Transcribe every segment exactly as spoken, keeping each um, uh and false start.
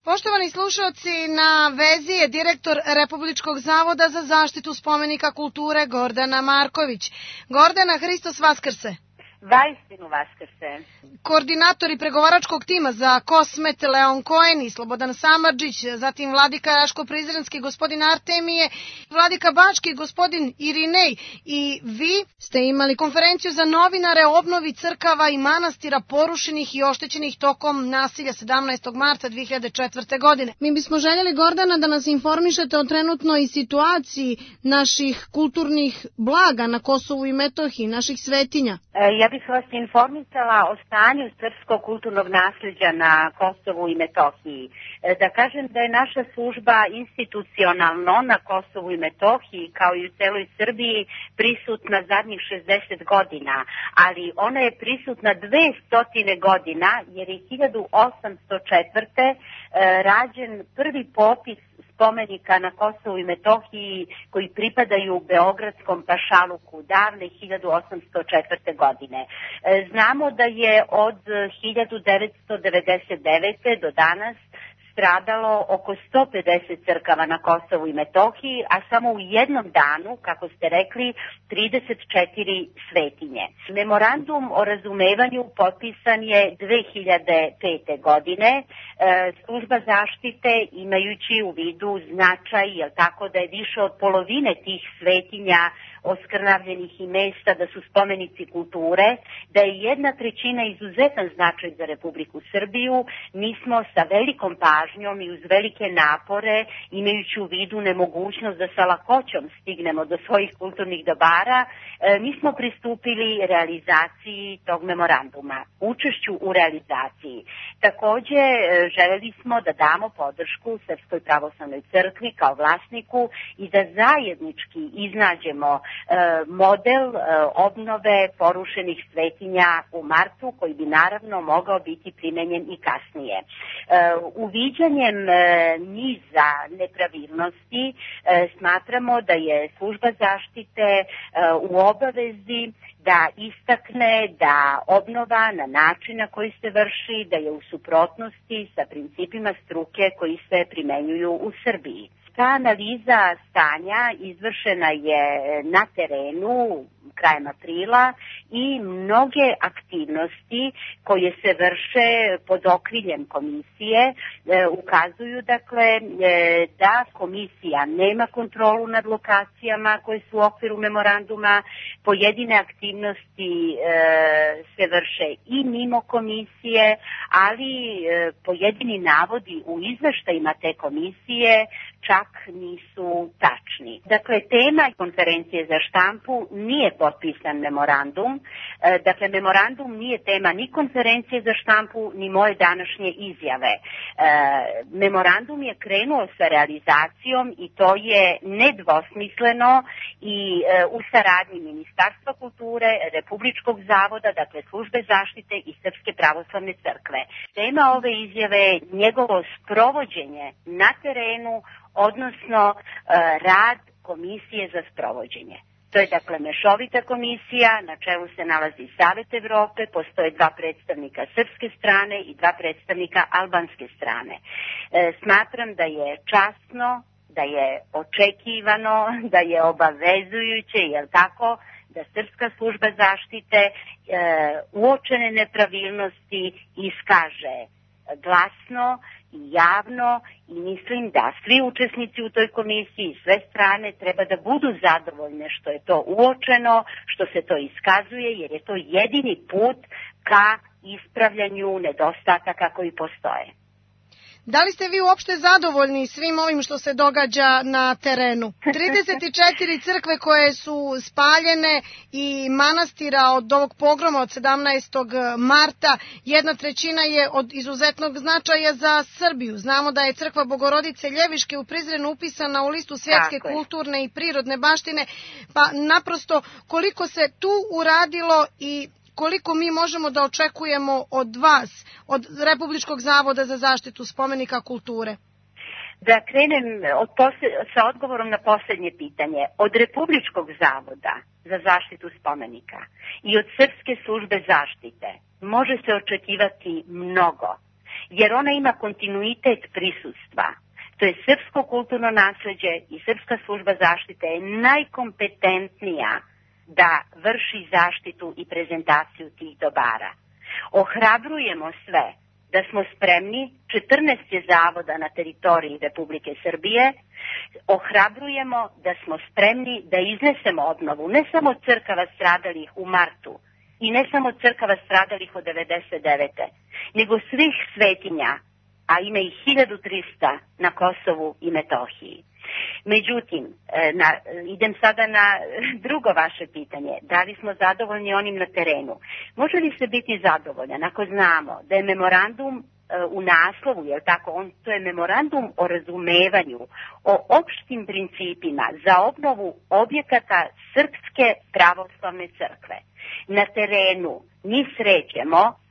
Poštovani slušalci, na vezi je direktor Republičkog zavoda za zaštitu spomenika kulture Gordana Marković. Gordana, Hristos Vaskrse! Vaistinu Vaskrse! Koordinatori pregovaračkog tima za Kosmet Leon Koen i Slobodan Samardžić, zatim vladika Raško-Prizrenski gospodin Artemije, vladika Bački gospodin Irinej i vi ste imali konferenciju za novinare o obnovi crkava i manastira porušenih i oštećenih tokom nasilja sedamnaestog marta dve hiljade četvrte. godine. Mi bismo željeli, Gordana, da nas informišete o trenutnoj situaciji naših kulturnih blaga na Kosovu i Metohiji, naših svetinja. Ja bih vas informisala o stanju srpskog kulturnog nasljeđa na Kosovu i Metohiji. Da kažem da je naša služba institucionalno na Kosovu i Metohiji, kao i u celoj Srbiji, prisutna zadnjih šezdeset godina, ali ona je prisutna dvesta godina, jer je hiljadu osamsto četvrte. rađen prvi popis spomenika na Kosovu i Metohiji koji pripadaju Beogradskom pašaluku davne hiljadu osamsto četvrte. godine. Znamo da je od hiljadu devetsto devedeset devete. do danas stradalo oko sto pedeset crkava na Kosovu i Metohiji, a samo u jednom danu, kako ste rekli, trideset četiri svetinje. Memorandum o razumevanju potpisan je dve hiljade pete. godine. E, služba zaštite, imajući u vidu značaj, jel tako, da je više od polovine tih svetinja oskrnavljenih i mesta da su spomenici kulture, da je jedna trećina izuzetan značaj za Republiku Srbiju, mi smo sa velikom pažnjom i uz velike napore, imajući u vidu nemogućnost da sa lakoćom stignemo do svojih kulturnih dobara, mi smo pristupili realizaciji tog memoranduma, učešću u realizaciji. Takođe, želeli smo da damo podršku Srpskoj pravoslavnoj crkvi kao vlasniku i da zajednički iznađemo model obnove porušenih svetinja u martu, koji bi naravno mogao biti primenjen i kasnije. Uviđanjem niza nepravilnosti smatramo da je služba zaštite u obavezi da istakne da obnova na način na koji se vrši, da je u suprotnosti sa principima struke koji se primenjuju u Srbiji. Ta analiza stanja izvršena je na terenu krajem aprila i mnoge aktivnosti koje se vrše pod okriljem komisije e, ukazuju dakle e, da komisija nema kontrolu nad lokacijama koje su u okviru memoranduma, pojedine aktivnosti e, se vrše i mimo komisije, ali e, pojedini navodi u izveštajima te komisije čak nisu tačni. Dakle, tema konferencije za štampu nije potpisan memorandum. Dakle, memorandum nije tema ni konferencije za štampu, ni moje današnje izjave. Memorandum je krenuo sa realizacijom i to je nedvosmisleno i u saradnji Ministarstva kulture, Republičkog zavoda, dakle službe zaštite i Srpske pravoslavne crkve. Tema ove izjave je njegovo sprovođenje na terenu, odnosno rad Komisije za sprovođenje. To je dakle mešovita komisija, na čelu se nalazi Savet Evrope, postoje dva predstavnika srpske strane i dva predstavnika albanske strane. E, smatram da je časno, da je očekivano, da je obavezujuće, jel tako, da Srpska služba zaštite e, uočene nepravilnosti iskaže glasno i javno i mislim da svi učesnici u toj komisiji, sve strane treba da budu zadovoljne što je to uočeno, što se to iskazuje, jer je to jedini put ka ispravljanju nedostataka koji postoje. Da li ste vi uopšte zadovoljni svim ovim što se događa na terenu? trideset četiri crkve koje su spaljene i manastira od ovog pogroma od sedamnaestog marta, jedna trećina je od izuzetnog značaja za Srbiju. Znamo da je crkva Bogorodice Ljeviške u Prizrenu upisana u listu svjetske kulturne i prirodne baštine, pa naprosto koliko se tu uradilo i koliko mi možemo da očekujemo od vas, od Republičkog zavoda za zaštitu spomenika kulture? Da krenem od posle, sa odgovorom na posljednje pitanje. Od Republičkog zavoda za zaštitu spomenika i od Srpske službe zaštite može se očekivati mnogo. jer ona ima kontinuitet prisustva. To je srpsko kulturno nasleđe i Srpska služba zaštite je najkompetentnija da vrši zaštitu i prezentaciju tih dobara. Ohrabrujemo sve da smo spremni, četrnaest je zavoda na teritoriji Republike Srbije, ohrabrujemo da smo spremni da iznesemo obnovu ne samo crkava stradalih u martu i ne samo crkava stradalih od devedeset devete nego svih svetinja, a ima ih hiljadu trista na Kosovu i Metohiji. Međutim, na, idem sada na drugo vaše pitanje. Da li smo zadovoljni onim na terenu? Može li se biti zadovoljan ako znamo da je memorandum u naslovu, je li tako, on, to je memorandum o razumevanju, o opštim principima za obnovu objekata Srpske pravoslavne crkve. Na terenu mi srećemo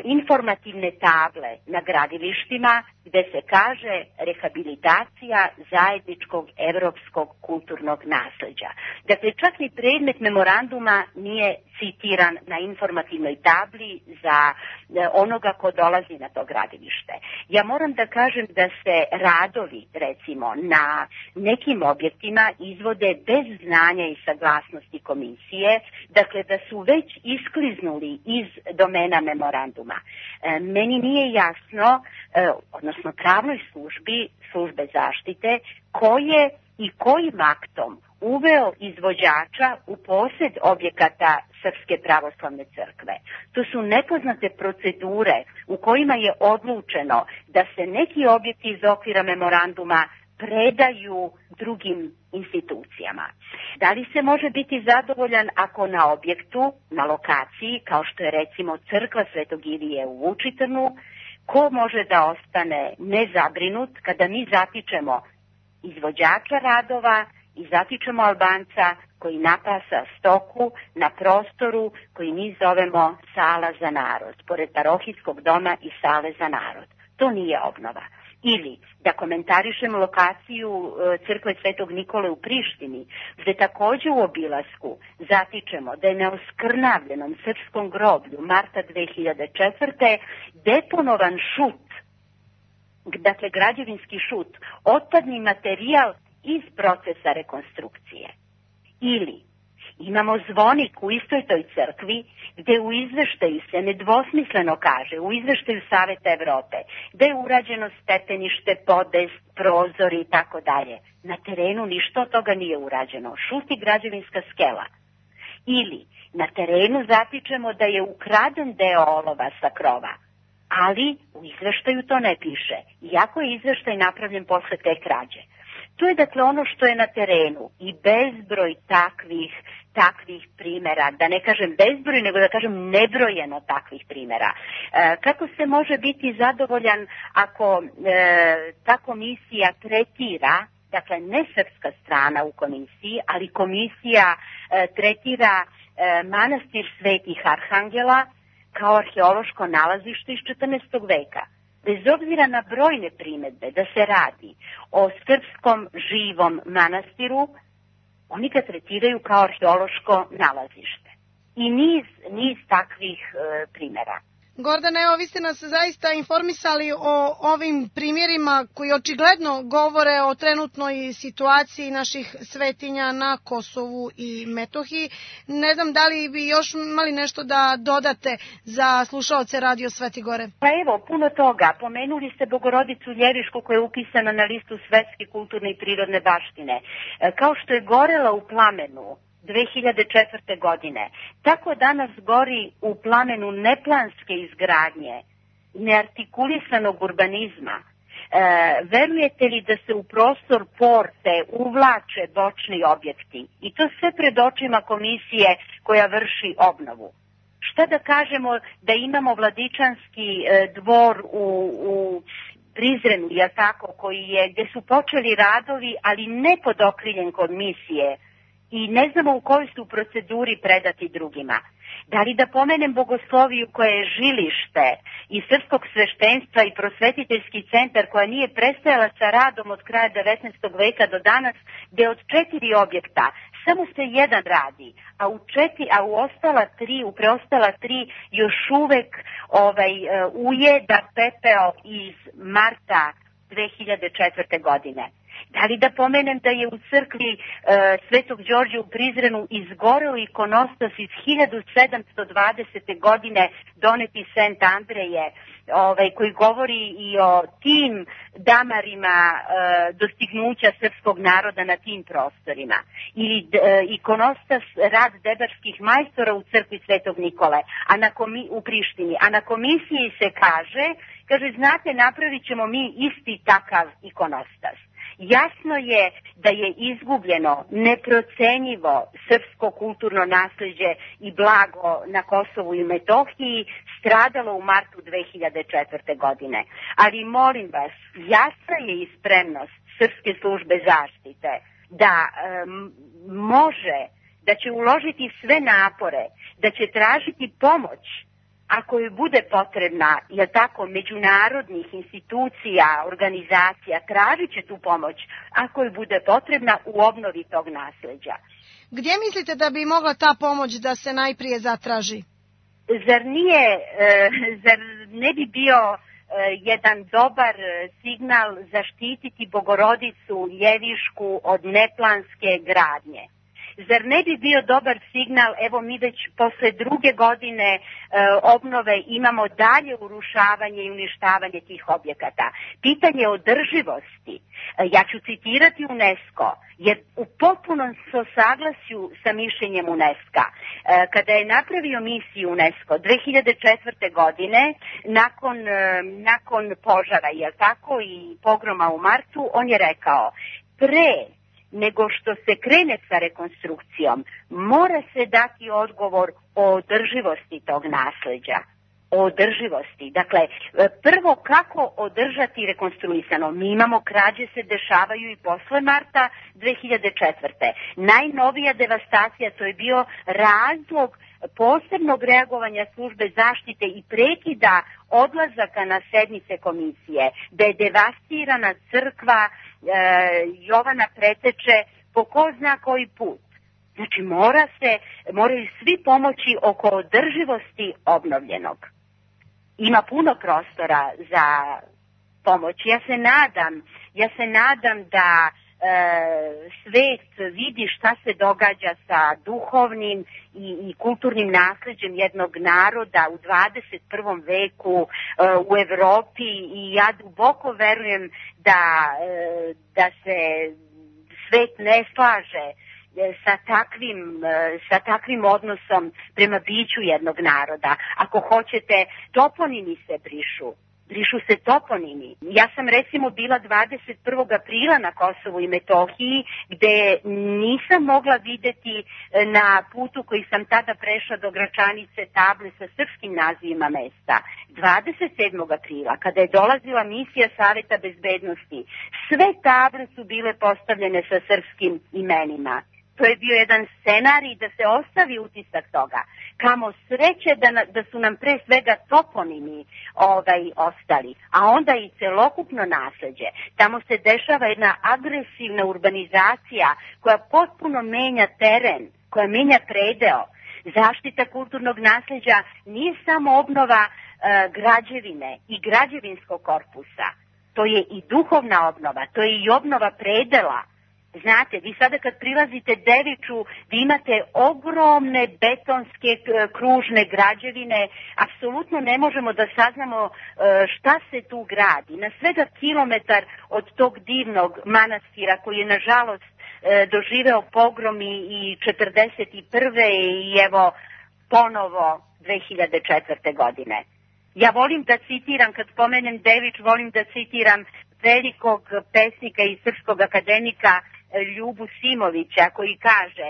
informativne table na gradilištima gde se kaže rehabilitacija zajedničkog evropskog kulturnog nasleđa. Dakle, čak ni predmet memoranduma nije citiran na informativnoj tabli za onoga ko dolazi na to gradilište. Ja moram da kažem da se radovi, recimo, na nekim objektima izvode bez znanja i saglasnosti komisije, dakle da su već iskliznuli iz domena memoranduma. E, meni nije jasno, e, odnosno pravnoj službi, službe zaštite, koje i kojim aktom uveo izvođača u posjed objekata Srpske pravoslavne crkve. To su nepoznate procedure u kojima je odlučeno da se neki objekti iz okvira memoranduma predaju drugim institucijama. Da li se može biti zadovoljan ako na objektu, na lokaciji, kao što je recimo crkva Svetog Ilije u Vučitrnu, ko može da ostane nezabrinut kada mi zatičemo izvođača radova i zatičemo Albanca koji napasa stoku na prostoru koji mi zovemo sala za narod, pored parohijskog doma i sale za narod. To nije obnova. Ili da komentarišemo lokaciju crkve Svetog Nikole u Prištini, gde takođe u obilasku zatičemo da je na oskrnavljenom srpskom groblju marta dve hiljade četvrte deponovan šut, dakle građevinski šut, otpadni materijal iz procesa rekonstrukcije. Ili imamo zvonik u istoj toj crkvi gde u izveštaju se nedvosmisleno kaže, u izveštaju Saveta Evrope, da je urađeno stepenište, podest, prozori i tako dalje. Na terenu ništa od toga nije urađeno. Šuti građevinska skela. Ili na terenu zatičemo da je ukraden deo olova sa krova, ali u izveštaju to ne piše, iako je izveštaj napravljen posle te krađe. To je dakle ono što je na terenu i bezbroj takvih, takvih primjera, da ne kažem bezbroj, nego da kažem nebrojeno takvih primjera. E, kako se može biti zadovoljan ako e, ta komisija tretira, dakle ne srpska strana u komisiji, ali komisija e, tretira e, manastir Svetih Arhangela kao arheološko nalazište iz četrnaestog veka. Bez obzira na brojne primedbe da se radi o srpskom živom manastiru, oni ga tretiraju kao arheološko nalazište. I niz, niz takvih e, primjera. Gordana, evo vi ste nas zaista informisali o ovim primjerima koji očigledno govore o trenutnoj situaciji naših svetinja na Kosovu i Metohiji. Ne znam da li bi još imali nešto da dodate za slušaoce Radio Sveti Gore. Pa evo, puno toga. Pomenuli ste Bogorodicu Ljevišku koja je upisana na listu svetske kulturne i prirodne baštine. Kao što je gorela u plamenu dve hiljade četvrte. godine. Tako danas gori u plamenu neplanske izgradnje, neartikulisanog urbanizma. E, verujete li da se u prostor porte uvlače bočni objekti? I to sve pred očima komisije koja vrši obnovu. Šta da kažemo da imamo Vladičanski e, dvor u, u Prizrenu, jel tako, koji je, gde su počeli radovi, ali ne pod okriljem komisije, i ne znamo u kojoj su proceduri predati drugima. Da li da pomenem Bogosloviju koja je žilište i srpskog sveštenstva i prosvetiteljski centar koja nije prestajala sa radom od kraja devetnaestog veka do danas, gde od četiri objekta samo se jedan radi, a u četiri, a u ostala tri, u preostala tri još uvek ovaj, ujeda pepeo iz marta dve hiljade četvrte. godine. Da li da pomenem da je u crkvi e, Svetog Đorđa u Prizrenu izgoreo ikonostas iz hiljadu sedamsto dvadesete. godine doneti Sent Andreje, ovaj, koji govori i o tim damarima e, dostignuća srpskog naroda na tim prostorima. Ili e, ikonostas rad debarskih majstora u crkvi Svetog Nikole a na komi, u Prištini. A na komisiji se kaže, kaže, znate, napravit ćemo mi isti takav ikonostas. Jasno je da je izgubljeno neprocenjivo srpsko kulturno nasleđe i blago na Kosovu i Metohiji, stradalo u martu dve hiljade četvrte. godine. Ali molim vas, jasna je i spremnost Srpske službe zaštite da um, može, da će uložiti sve napore, da će tražiti pomoć ako joj bude potrebna, je tako, međunarodnih institucija, organizacija, tražit će tu pomoć ako joj bude potrebna u obnovi tog nasleđa. Gdje mislite da bi mogla ta pomoć da se najprije zatraži? Zar nije, e, zar ne bi bio e, jedan dobar signal zaštititi Bogorodicu Ljevišku od neplanske gradnje? Zar ne bi bio dobar signal, evo mi već posle druge godine e, obnove imamo dalje urušavanje i uništavanje tih objekata. Pitanje održivosti, e, ja ću citirati UNESCO, jer u potpunom saglasju sa mišljenjem UNESCO. E, kada je napravio misiju UNESCO dve hiljade četvrte. godine, nakon, e, nakon požara, je tako, i pogroma u martu, on je rekao, pre nego što se krene sa rekonstrukcijom, mora se dati odgovor o održivosti tog nasleđa. O održivosti. Dakle, prvo kako održati rekonstruisano. Mi imamo, krađe se dešavaju i posle marta dve hiljade četvrte. Najnovija devastacija, to je bio razlog posebnog reagovanja službe zaštite i prekida odlazaka na sednice komisije, da je devastirana crkva e, Jovana Preteče po ko zna koji put. Znači mora se, moraju svi pomoći oko održivosti obnovljenog. Ima puno prostora za pomoć. Ja se nadam, ja se nadam da e, svet vidi šta se događa sa duhovnim i, i kulturnim nasleđem jednog naroda u dvadeset prvom veku e, u Evropi, i ja duboko verujem da, e, da se svet ne slaže sa takvim, sa takvim odnosom prema biću jednog naroda. Ako hoćete, toponimi se brišu. Brišu se toponimi. Ja sam recimo bila dvadeset prvog aprila na Kosovu i Metohiji, gde nisam mogla videti na putu koji sam tada prešla do Gračanice table sa srpskim nazivima mesta. dvadeset sedmog aprila, kada je dolazila misija Saveta bezbednosti, sve table su bile postavljene sa srpskim imenima. To je bio jedan scenarij da se ostavi utisak toga. Kamo sreće da, na, da su nam pre svega toponimi ovaj, ostali, a onda i celokupno nasleđe. Tamo se dešava jedna agresivna urbanizacija koja potpuno menja teren, koja menja predeo. Zaštita kulturnog nasleđa nije samo obnova e, građevine i građevinskog korpusa. To je i duhovna obnova, to je i obnova predela. Znate, vi sada kad prilazite Deviču, vi imate ogromne betonske kružne građevine, apsolutno ne možemo da saznamo šta se tu gradi. Na svega kilometar od tog divnog manastira koji je nažalost doživeo pogrom i četrdeset prve i evo ponovo dve hiljade četvrte. godine. Ja volim da citiram, kad spomenem Devič, volim da citiram velikog pesnika i srpskog akademika Ljubu Simovića, koji kaže: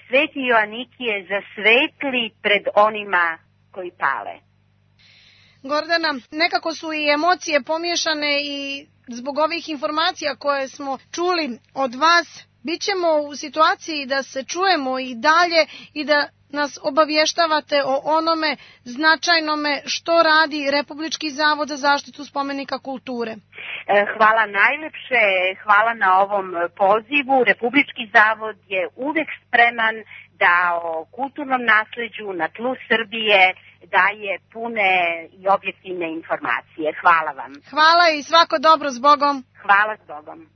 Sveti Joanikije zasvetli pred onima koji pale. Gordana, nekako su i emocije pomiješane i zbog ovih informacija koje smo čuli od vas, bit ćemo u situaciji da se čujemo i dalje i da nas obavještavate o onome značajnome što radi Republički zavod za zaštitu spomenika kulture. Hvala najlepše, hvala na ovom pozivu. Republički zavod je uvek spreman da o kulturnom nasleđu na tlu Srbije daje pune i objektivne informacije. Hvala vam. Hvala i svako dobro, s Bogom. Hvala, s Bogom.